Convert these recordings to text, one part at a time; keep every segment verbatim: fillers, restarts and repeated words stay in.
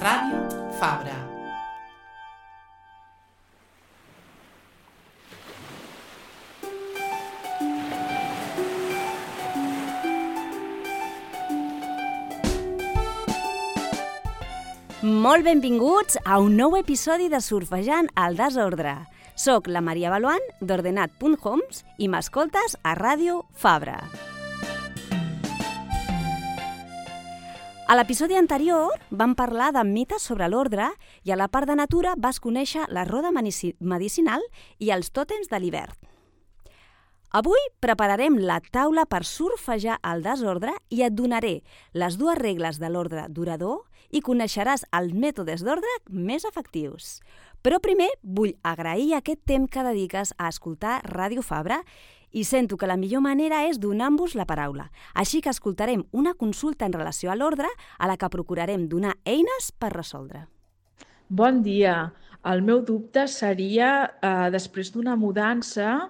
Ràdio Fabra. Molt benvinguts a un nou episodi de Surfejant al desordre. Soc la Maria Baluan, d'Ordenat punt homes, i m'escoltes a Ràdio Fabra. A l'episodi anterior vam parlar de mites sobre l'ordre i a la part de natura vas conèixer la roda medicinal i els tòtems de l'hivern. Avui prepararem la taula per surfejar el desordre i et donaré les dues regles de l'ordre durador i coneixeràs els mètodes d'ordre més efectius. Però primer vull agrair aquest temps que dediques a escoltar Ràdio Fabra i sento que la millor manera és donant-vos la paraula. Així que escoltarem una consulta en relació a l'ordre a la que procurarem donar eines per resoldre. Bon dia. El meu dubte seria, eh, després d'una mudança,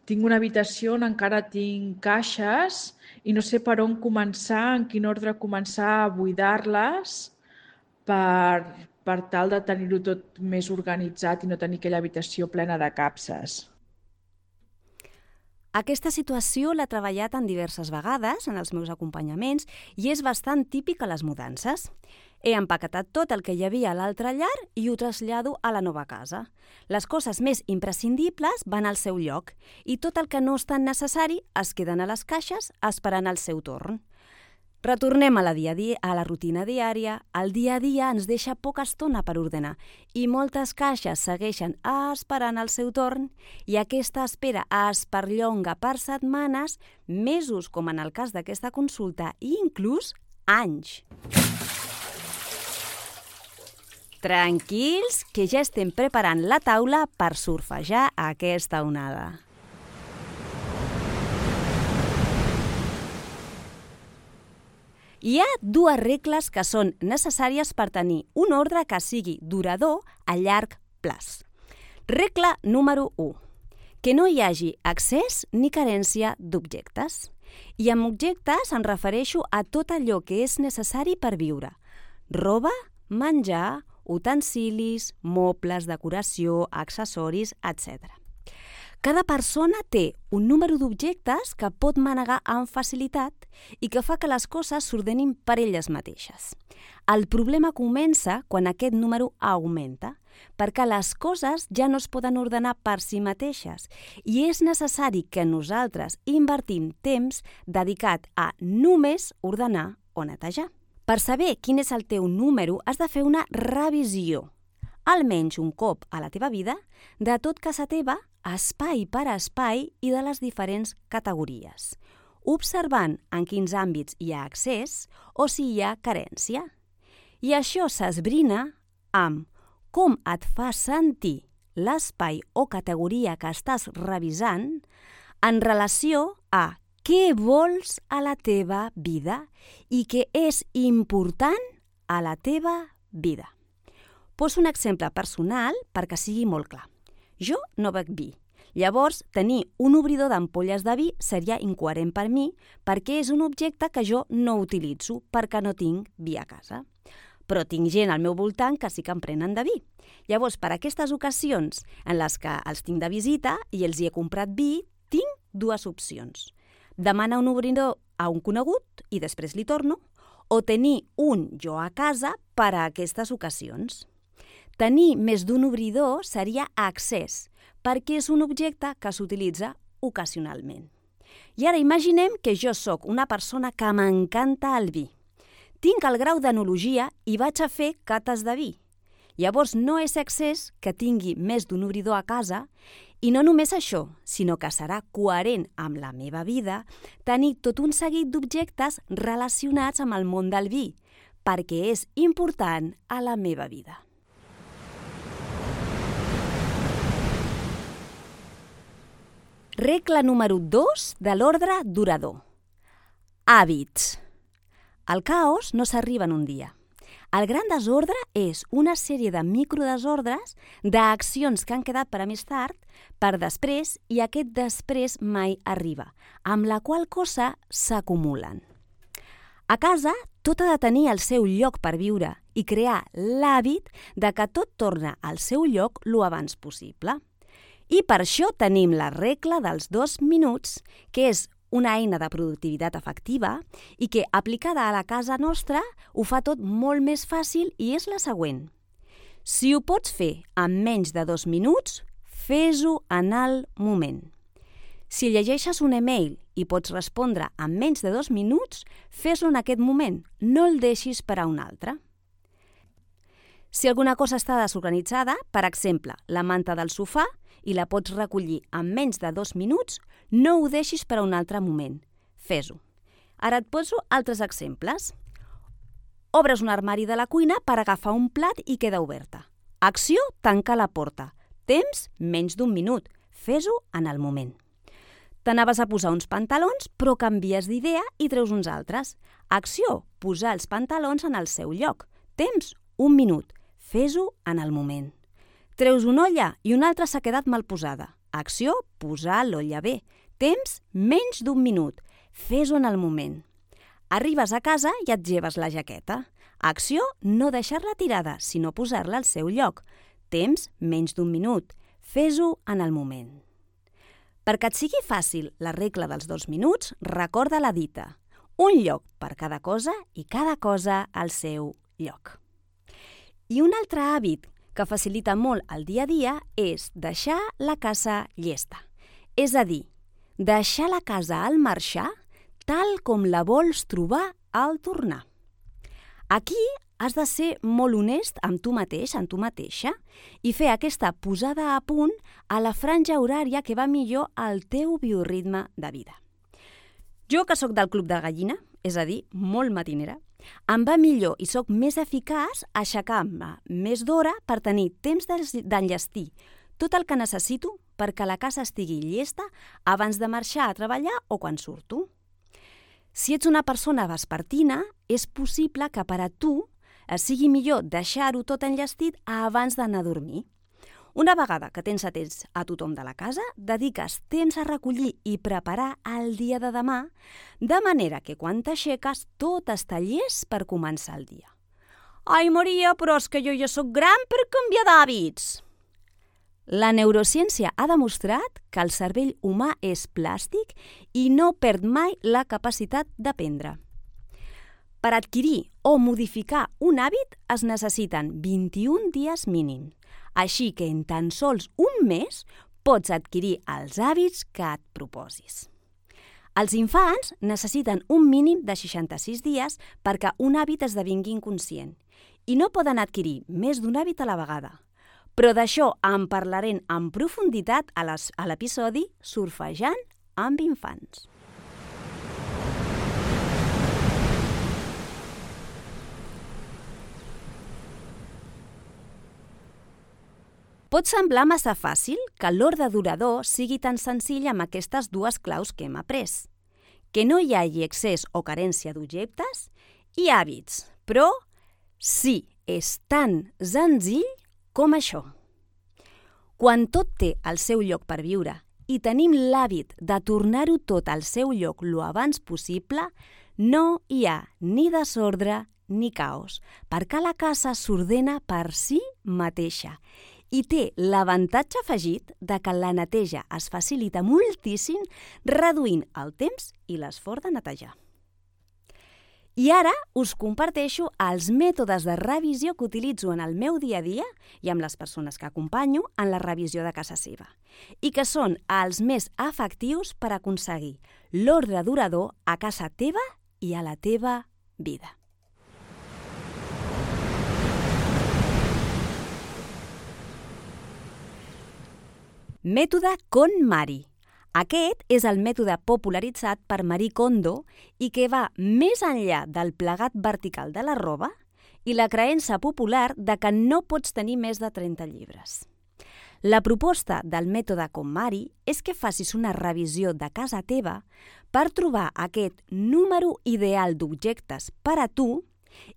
tinc una habitació on encara tinc caixes i no sé per on començar, en quin ordre començar a buidar-les per, per tal de tenir-ho tot més organitzat i no tenir aquella habitació plena de capses. Aquesta situació l'he treballat en diverses vegades en els meus acompanyaments i és bastant típica a les mudances. He empaquetat tot el que hi havia a l'altra llar i ho trasllado a la nova casa. Les coses més imprescindibles van al seu lloc i tot el que no és tan necessari es queden a les caixes esperant el seu torn. Retornem a la, dia a, dia, a la rutina diària. El dia a dia ens deixa poca estona per ordenar i moltes caixes segueixen esperant el seu torn i aquesta espera es perllonga per setmanes, mesos com en el cas d'aquesta consulta i inclús anys. Tranquils, que ja estem preparant la taula per surfejar aquesta onada. Hi ha dues regles que són necessàries per tenir un ordre que sigui durador a llarg plaç. Regla número u. Que no hi hagi excés ni carència d'objectes. I amb objectes em refereixo a tot allò que és necessari per viure. Roba, menjar, utensilis, mobles, decoració, accessoris, etcètera. Cada persona té un número d'objectes que pot manegar amb facilitat i que fa que les coses s'ordenin per elles mateixes. El problema comença quan aquest número augmenta, perquè les coses ja no es poden ordenar per si mateixes i és necessari que nosaltres invertim temps dedicat a només ordenar o netejar. Per saber quin és el teu número has de fer una revisió, almenys un cop a la teva vida, de tot casa teva, espai per espai i de les diferents categories, observant en quins àmbits hi ha accés o si hi ha carència. I això s'esbrina amb com et fa sentir l'espai o categoria que estàs revisant en relació a què vols a la teva vida i què és important a la teva vida. Poso un exemple personal perquè sigui molt clar. Jo no bec vi. Llavors, tenir un obridor d'ampolles de vi seria incoherent per mi perquè és un objecte que jo no utilitzo perquè no tinc vi a casa. Però tinc gent al meu voltant que sí que em prenen de vi. Llavors, per aquestes ocasions en les que els tinc de visita i els hi he comprat vi, tinc dues opcions. Demanar un obridor a un conegut i després li torno, o tenir un jo a casa per a aquestes ocasions. Tenir més d'un obridor seria accés, perquè és un objecte que s'utilitza ocasionalment. I ara imaginem que jo sóc una persona que m'encanta el vi. Tinc el grau d'enologia i vaig a fer cates de vi. Llavors no és excés que tingui més d'un obridor a casa i no només això, sinó que serà coherent amb la meva vida tenir tot un seguit d'objectes relacionats amb el món del vi, perquè és important a la meva vida. Regla número dos de l'ordre durador. Hàbits. El caos no s'arriba en un dia. El gran desordre és una sèrie de microdesordres d'accions que han quedat per a més tard, per després, i aquest després mai arriba, amb la qual cosa s'acumulen. A casa, tot ha de tenir el seu lloc per viure i crear l'hàbit de que tot torna al seu lloc lo abans possible. I per això tenim la regla dels dos minuts, que és una eina de productivitat efectiva i que, aplicada a la casa nostra, ho fa tot molt més fàcil i és la següent. Si ho pots fer en menys de dos minuts, fes-ho en el moment. Si llegeixes un email i pots respondre en menys de dos minuts, fes-ho en aquest moment, no el deixis per a un altre. Si alguna cosa està desorganitzada, per exemple, la manta del sofà, i la pots recollir en menys de dos minuts, no ho deixis per a un altre moment. Fes-ho. Ara et poso altres exemples. Obres un armari de la cuina per agafar un plat i queda oberta. Acció, tanca la porta. Temps, menys d'un minut. Fes-ho en el moment. T'anaves a posar uns pantalons, però canvies d'idea i treus uns altres. Acció, posar els pantalons en el seu lloc. Temps, un minut. Fes-ho en el moment. Treus una olla i una altra s'ha quedat mal posada. Acció, posar l'olla bé. Temps, menys d'un minut. Fes-ho en el moment. Arribes a casa i et lleves la jaqueta. Acció, no deixar-la tirada, sinó posar-la al seu lloc. Temps, menys d'un minut. Fes-ho en el moment. Perquè et sigui fàcil la regla dels dos minuts, recorda la dita. Un lloc per cada cosa i cada cosa al seu lloc. I un altre hàbit que facilita molt el dia a dia és deixar la casa llesta. És a dir, deixar la casa al marxar tal com la vols trobar al tornar. Aquí has de ser molt honest amb tu mateix, amb tu mateixa, i fer aquesta posada a punt a la franja horària que va millor al teu bioritme de vida. Jo, que sóc del club de gallina, és a dir, molt matinera, em va millor i sóc més eficaç aixecar-me més d'hora per tenir temps d'enllestir tot el que necessito perquè la casa estigui llesta abans de marxar a treballar o quan surto. Si ets una persona vespertina, és possible que per a tu sigui millor deixar-ho tot enllestit abans d'anar a dormir. Una vegada que tens atents a tothom de la casa, dediques temps a recollir i preparar el dia de demà, de manera que quan t'aixeques tot està llest per començar el dia. Ai, Maria, però és que jo ja sóc gran per canviar d'hàbits. La neurociència ha demostrat que el cervell humà és plàstic i no perd mai la capacitat d'aprendre. Per adquirir o modificar un hàbit es necessiten vint-i-un dies mínim. Així que en tan sols un mes pots adquirir els hàbits que et proposis. Els infants necessiten un mínim de seixanta-sis dies perquè un hàbit esdevingui inconscient i no poden adquirir més d'un hàbit a la vegada. Però d'això en parlarem en profunditat a l'episodi Surfejant amb infants. Pot semblar massa fàcil que l'ordre durador sigui tan senzill amb aquestes dues claus que hem après. Que no hi hagi excés o carència d'objectes i hàbits, però sí, és tan senzill com això. Quan tot té el seu lloc per viure i tenim l'hàbit de tornar-ho tot al seu lloc lo abans possible, no hi ha ni desordre ni caos, perquè la casa s'ordena per si mateixa i té l'avantatge afegit de que la neteja es facilita moltíssim reduint el temps i l'esforç de netejar. I ara us comparteixo els mètodes de revisió que utilitzo en el meu dia a dia i amb les persones que acompanyo en la revisió de casa seva i que són els més efectius per aconseguir l'ordre durador a casa teva i a la teva vida. Mètode KonMari. Aquest és el mètode popularitzat per Marie Kondo i que va més enllà del plegat vertical de la roba i la creença popular de que no pots tenir més de trenta llibres. La proposta del mètode KonMari és que facis una revisió de casa teva per trobar aquest número ideal d'objectes per a tu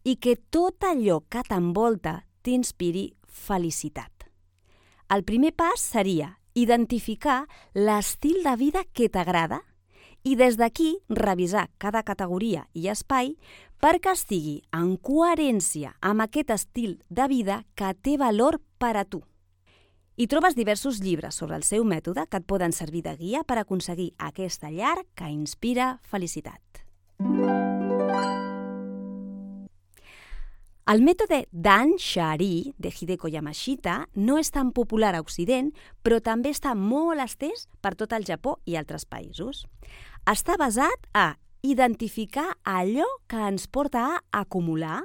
i que tot allò que t'envolta t'inspiri felicitat. El primer pas seria identificar l'estil de vida que t'agrada i des d'aquí revisar cada categoria i espai perquè estigui en coherència amb aquest estil de vida que té valor per a tu. Hi trobes diversos llibres sobre el seu mètode que et poden servir de guia per aconseguir aquesta llar que inspira felicitat. El mètode Dan Shari de Hideko Yamashita no és tan popular a Occident, però també està molt estès per tot el Japó i altres països. Està basat a identificar allò que ens porta a acumular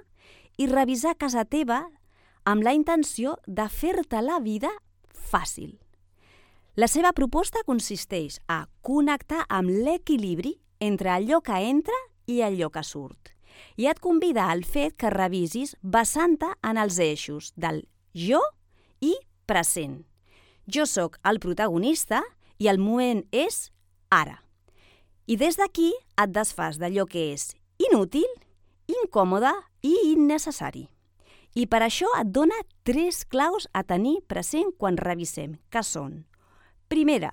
i revisar casa teva amb la intenció de fer-te la vida fàcil. La seva proposta consisteix a connectar amb l'equilibri entre allò que entra i allò que surt. I et convida al fet que revisis basant-te en els eixos del jo i present. Jo sóc el protagonista i el moment és ara. I des d'aquí et desfas d'allò que és inútil, incòmode i innecessari. I per això et dona tres claus a tenir present quan revisem, que són: primera,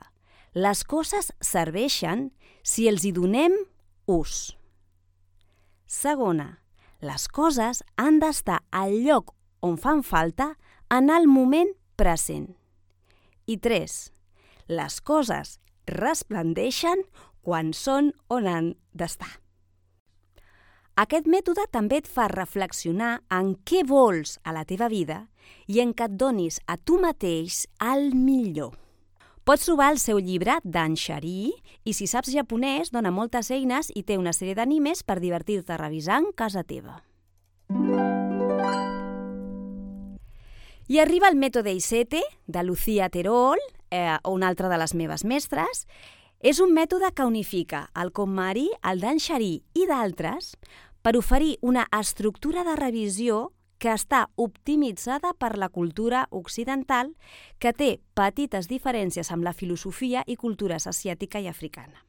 les coses serveixen si els hi donem ús. Segona, les coses han d'estar al lloc on fan falta en el moment present. I tres, les coses resplendeixen quan són on han d'estar. Aquest mètode també et fa reflexionar en què vols a la teva vida i en què et donis a tu mateix el millor. Pots trobar el seu llibre Dan Shari i si saps japonès dona moltes eines i té una sèrie d'animes per divertir-te revisant casa teva. I arriba el mètode I sette de Lucia Terol, eh, una altra de les meves mestres. És un mètode que unifica el KonMari, el Dan Shari i d'altres per oferir una estructura de revisió que està optimitzada per la cultura occidental, que té petites diferències amb la filosofia i cultures asiàtica i africana.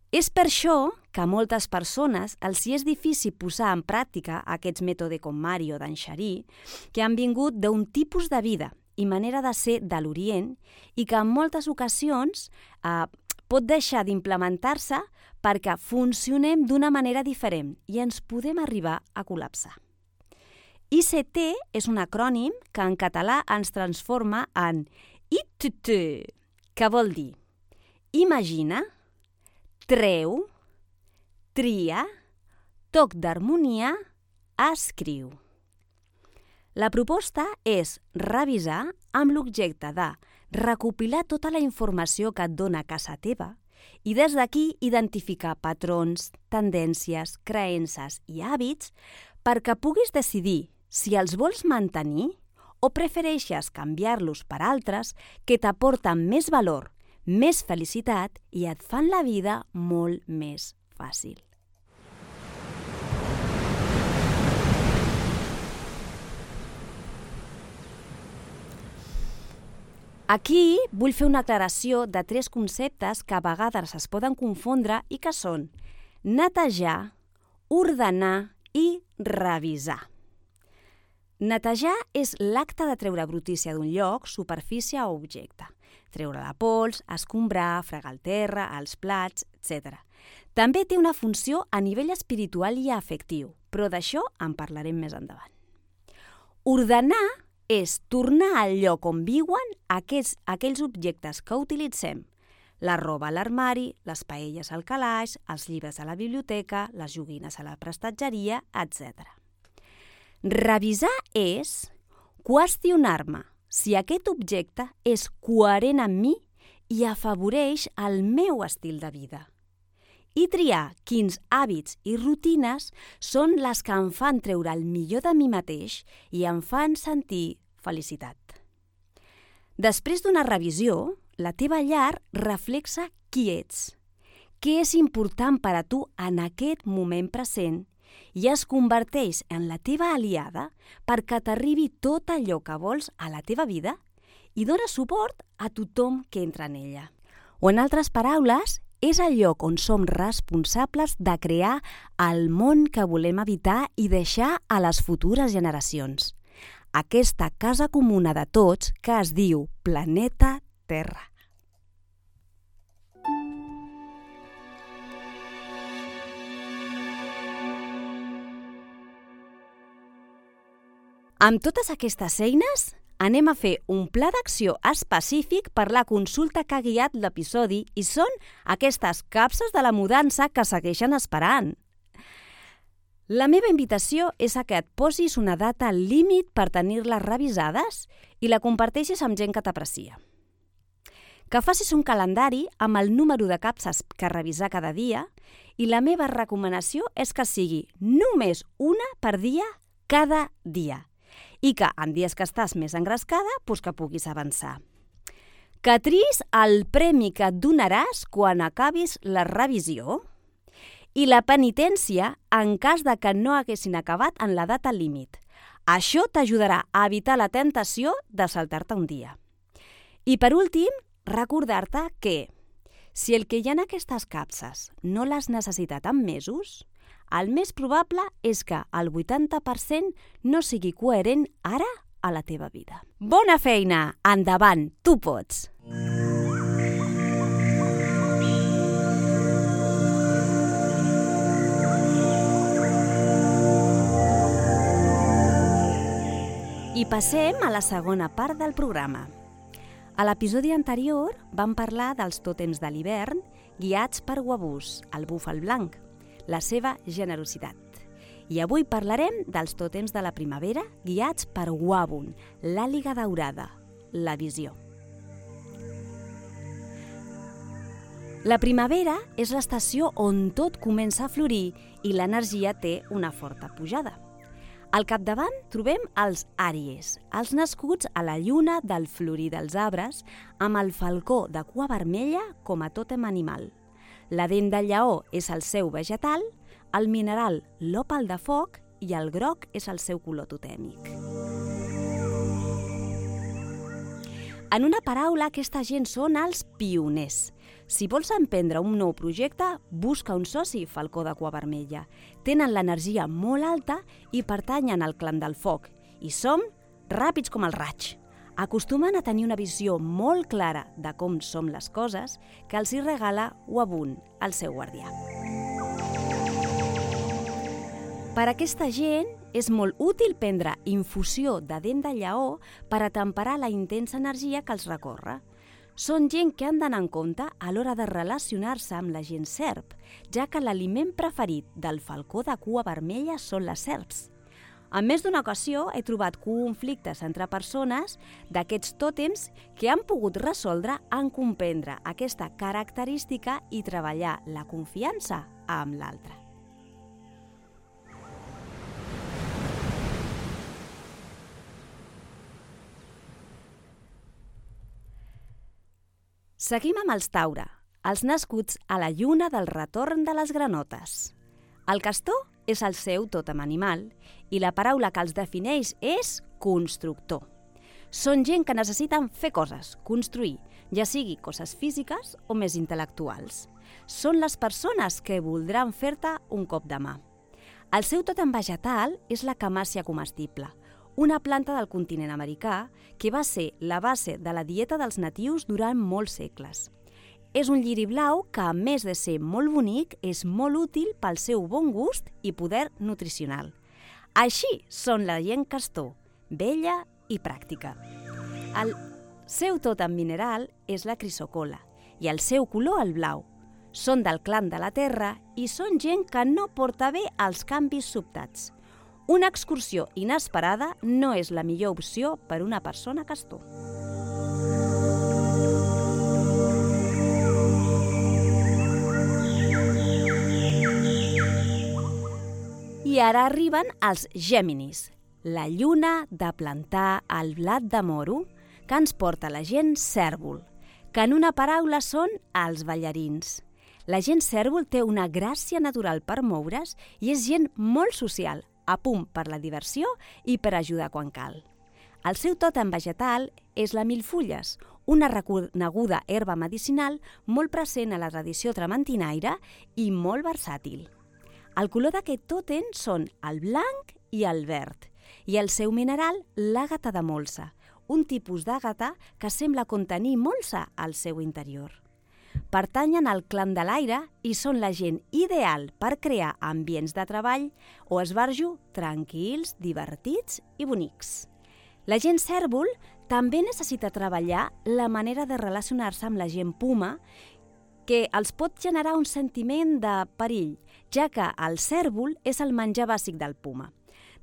És per això que a moltes persones els hi és difícil posar en pràctica aquests mètodes KonMari o Dan Shari, que han vingut d'un tipus de vida i manera de ser de l'Orient i que en moltes ocasions eh, pot deixar d'implementar-se perquè funcionem d'una manera diferent i ens podem arribar a col·lapsar. I sette és un acrònim que en català ens transforma en I T T, que vol dir imagina, treu, tria, toc d'harmonia, escriu. La proposta és revisar amb l'objecte de recopilar tota la informació que et dona casa teva i des d'aquí identificar patrons, tendències, creences i hàbits perquè puguis decidir si els vols mantenir o prefereixes canviar-los per altres que t'aporten més valor, més felicitat i et fan la vida molt més fàcil. Aquí vull fer una aclaració de tres conceptes que a vegades es poden confondre i que són netejar, ordenar i revisar. Netejar és l'acte de treure brutícia d'un lloc, superfície o objecte. Treure la pols, escombrar, fregar el terra, els plats, etcètera. També té una funció a nivell espiritual i afectiu, però d'això en parlarem més endavant. Ordenar és tornar al lloc on viuen aquests, aquells objectes que utilitzem. La roba a l'armari, les paelles al calaix, els llibres a la biblioteca, les joguines a la prestatgeria, etcètera. Revisar és qüestionar-me si aquest objecte és coherent amb mi i afavoreix el meu estil de vida. I triar quins hàbits i rutines són les que em fan treure el millor de mi mateix i em fan sentir felicitat. Després d'una revisió, la teva llar reflexa qui ets, què és important per a tu en aquest moment present i es converteix en la teva aliada perquè t'arribi tot allò que vols a la teva vida i dona suport a tothom que entra en ella. O en altres paraules, és el lloc on som responsables de crear el món que volem habitar i deixar a les futures generacions. Aquesta casa comuna de tots que es diu Planeta Terra. Amb totes aquestes eines, anem a fer un pla d'acció específic per la consulta que ha guiat l'episodi i són aquestes capses de la mudança que segueixen esperant. La meva invitació és a que et posis una data límit per tenir-les revisades i la comparteixis amb gent que t'aprecia. Que facis un calendari amb el número de capses que revisar cada dia i la meva recomanació és que sigui només una per dia cada dia i que en dies que estàs més engrescada, doncs que puguis avançar. Que triïs el premi que et donaràs quan acabis la revisió i la penitència en cas de que no haguessin acabat en la data límit. Això t'ajudarà a evitar la tentació de saltar-te un dia. I per últim, recordar-te que si el que hi ha en aquestes capses no l'has necessitat en mesos, el més probable és que el vuitanta per cent no sigui coherent ara a la teva vida. Bona feina! Endavant! Tu pots! I passem a la segona part del programa. A l'episodi anterior vam parlar dels tòtems de l'hivern guiats per Wabús, el búfal blanc, la seva generositat. I avui parlarem dels tòtems de la primavera guiats per Wabun, l'àliga daurada, la visió. La primavera és l'estació on tot comença a florir i l'energia té una forta pujada. Al capdavant trobem els àries, els nascuts a la lluna del florir dels arbres, amb el falcó de cua vermella com a tòtem animal. La dent de lleó és el seu vegetal, el mineral l'òpal de foc i el groc és el seu color totèmic. En una paraula, aquesta gent són els pioners. Si vols emprendre un nou projecte, busca un soci falcó de cua vermella. Tenen l'energia molt alta i pertanyen al clan del foc. I som ràpids com el raig. Acostumen a tenir una visió molt clara de com som les coses que els hi regala Wabun, el seu guardià. Per a aquesta gent és molt útil prendre infusió de dent de lleó per a temperar la intensa energia que els recorre. Són gent que han d'anar en compte a l'hora de relacionar-se amb la gent serp, ja que l'aliment preferit del falcó de cua vermella són les serps. En més d'una ocasió he trobat conflictes entre persones d'aquests tòtems que han pogut resoldre en comprendre aquesta característica i treballar la confiança amb l'altre. Seguim amb els Taure, els nascuts a la lluna del retorn de les granotes. El castor és el seu tòtem animal i la paraula que els defineix és constructor. Són gent que necessiten fer coses, construir, ja sigui coses físiques o més intel·lectuals. Són les persones que voldran fer-te un cop de mà. El seu tòtem vegetal és la camàcia comestible, una planta del continent americà que va ser la base de la dieta dels natius durant molts segles. És un lliri blau que, a més de ser molt bonic, és molt útil pel seu bon gust i poder nutricional. Així són la gent castor, vella i pràctica. El seu tòtem mineral és la crisocola i el seu color el blau. Són del clan de la terra i són gent que no porta bé els canvis sobtats. Una excursió inesperada no és la millor opció per una persona castor. I ara arriben els Gèminis, la lluna de plantar el blat de moro que ens porta la gent cèrvol, que en una paraula són els ballarins. La gent cèrvol té una gràcia natural per moure's i és gent molt social, a punt per la diversió i per ajudar quan cal. El seu tòtem vegetal és la milfulles, una reconeguda herba medicinal molt present a la tradició trementinaire i molt versàtil. El color d'aquest tòtem són el blanc i el verd, i el seu mineral l'àgata de molsa, un tipus d'àgata que sembla contenir molsa al seu interior. pertanyen al clan de l'aire i són la gent ideal per crear ambients de treball o esbarjo tranquils, divertits i bonics. La gent cèrvol també necessita treballar la manera de relacionar-se amb la gent puma, que els pot generar un sentiment de perill, ja que el cèrvol és el menjar bàsic del puma.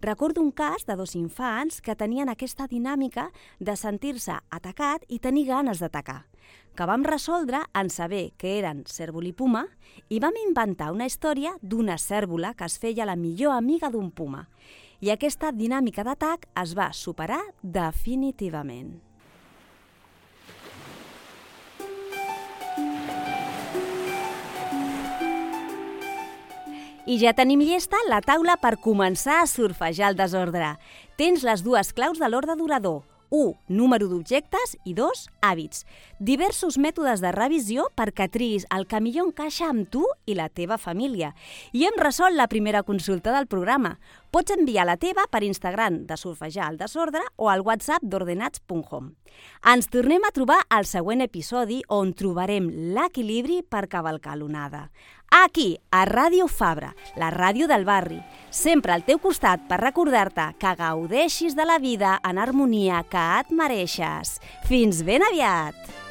Recordo un cas de dos infants que tenien aquesta dinàmica de sentir-se atacat i tenir ganes d'atacar, que vam resoldre en saber que eren cèrvol i puma i vam inventar una història d'una cèrvola que es feia la millor amiga d'un puma. I aquesta dinàmica d'atac es va superar definitivament. I ja tenim llesta la taula per començar a surfejar el desordre. Tens les dues claus de l'ordre durador. u. Número d'objectes i dos. Hàbits. Diversos mètodes de revisió perquè triïs el que millor encaixa amb tu i la teva família. I hem resolt la primera consulta del programa. Pots enviar la teva per Instagram de Surfejar el Desordre o al WhatsApp d'ordenats punt com. Ens tornem a trobar al següent episodi on trobarem l'equilibri per cavalcar l'onada. Aquí, a Ràdio Fabra, la ràdio del barri, sempre al teu costat per recordar-te que gaudeixis de la vida en harmonia que et mereixes. Fins ben aviat!